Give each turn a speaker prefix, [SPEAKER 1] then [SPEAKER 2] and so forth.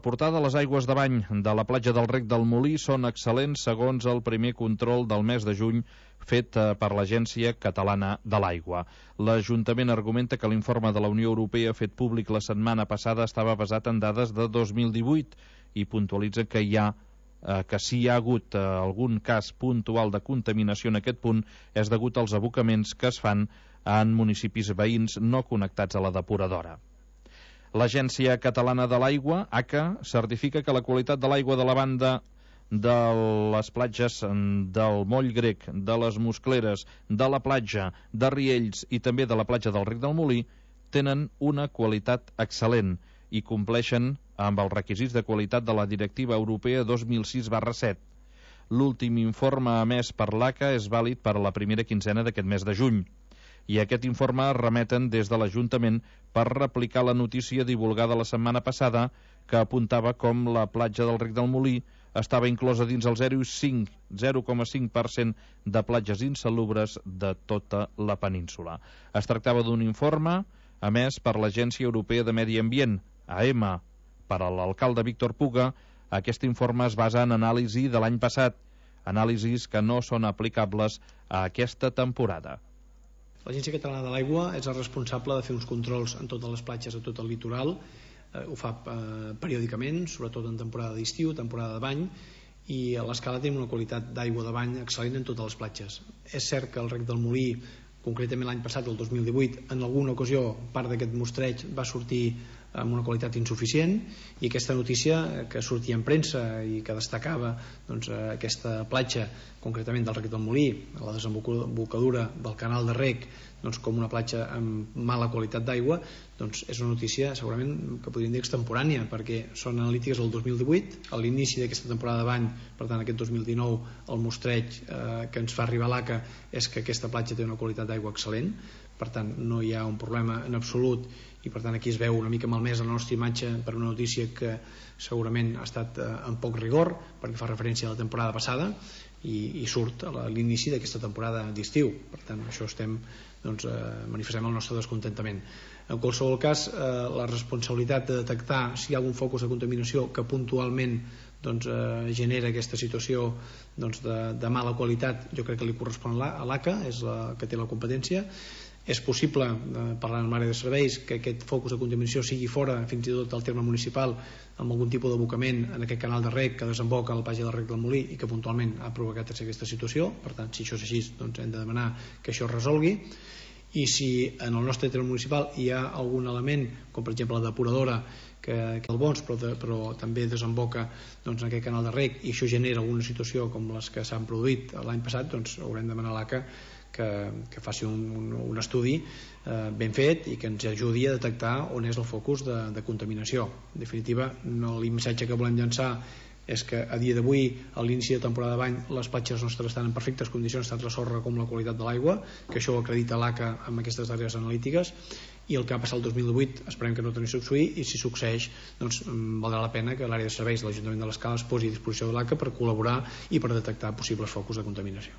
[SPEAKER 1] portada, les aigües de bany de la platja del Rec del Molí són excel·lents segons el primer control del mes de juny fet per l'Agència Catalana de l'Aigua. L'Ajuntament argumenta que l'informe de la Unió Europea fet públic la setmana passada estava basat en dades de 2018 i puntualitza que si hi ha hagut algun cas puntual de contaminació en aquest punt és degut als abocaments que es fan en municipis veïns no connectats a la depuradora. L'Agència Catalana de l'Aigua, ACA, certifica que la qualitat de l'aigua de la banda de les platges del Moll Grec, de les Muscleres, de la platja de Riells i també de la platja del Rec del Molí tenen una qualitat excel·lent i compleixen amb els requisits de qualitat de la Directiva Europea 2006/7. L'últim informe emès per l'ACA és vàlid per a la primera quinzena d'aquest mes de juny. I aquest informe remeten des de l'Ajuntament per replicar la notícia divulgada la setmana passada que apuntava com la platja del Rec del Molí estava inclosa dins el 0,5% de platges insalubres de tota la península. Es tractava d'un informe emès per l'Agència Europea de Medi Ambient, AEMA. Per a l'alcalde Víctor Puga, aquest informe es basa en anàlisi de l'any passat, anàlisis que no són aplicables a aquesta temporada.
[SPEAKER 2] L'Agència Catalana de l'Aigua és el responsable de fer uns controls en totes les platges, a tot el litoral. Ho fa periòdicament, sobretot en temporada d'estiu, temporada de bany, i a l'escala tenim una qualitat d'aigua de bany excel·lent en totes les platges. És cert que el Rec del Molí, concretament l'any passat, el 2018, en alguna ocasió part d'aquest mostreig va sortir amb una qualitat insuficient, i aquesta notícia que sortia en premsa i que destacava aquesta platja, concretament del Rec del Molí, a la desembocadura del canal de Rec, com una platja amb mala qualitat d'aigua, és una notícia segurament que podríem dir extemporània, perquè són analítiques del 2018, a l'inici d'aquesta temporada de bany. Per tant, aquest 2019 el mostreig que ens fa arribar l'ACA és que aquesta platja té una qualitat d'aigua excel·lent. Per tant, no hi ha un problema en absolut, i per tant aquí es veu una mica malmesa la nostra imatge per una notícia que segurament ha estat amb poc rigor, perquè fa referència a la temporada passada i surt a l'inici d'aquesta temporada d'estiu. Per tant, això manifestem el nostre descontentament. En qualsevol cas, la responsabilitat de detectar si hi ha algun focus de contaminació que puntualment genera aquesta situació de mala qualitat, jo crec que li correspon a l'ACA, és la que té la competència. És possible, parlant amb l'àrea de serveis, que aquest focus de contaminació sigui fora fins i tot del terme municipal, amb algun tipus d'abocament en aquest canal de rec que desemboca a la platja del Rec del Molí i que puntualment ha provocat aquesta situació. Per tant, si això és així, hem de demanar que això es resolgui. I si en el nostre terme municipal hi ha algun element, com per exemple la depuradora, que el Bons, però també desemboca en aquest canal de rec, i això genera alguna situació com les que s'han produït l'any passat, haurem de demanar a l'ACA que faci un estudi ben fet i que ens ajudi a detectar on és el focus de contaminació. En definitiva, el missatge que volem llançar és que a dia d'avui, a l'inici de temporada de bany, les platges nostres estan en perfectes condicions, tant la sorra com la qualitat de l'aigua, que això ho acredita l'ACA amb aquestes darreres analítiques, i el que ha passat el 2018 esperem que no torni a succeir, i si succeeix valdrà la pena que l'àrea de serveis de l'Ajuntament de l'Escala es posi a disposició de l'ACA per col·laborar i per detectar possibles focus de contaminació.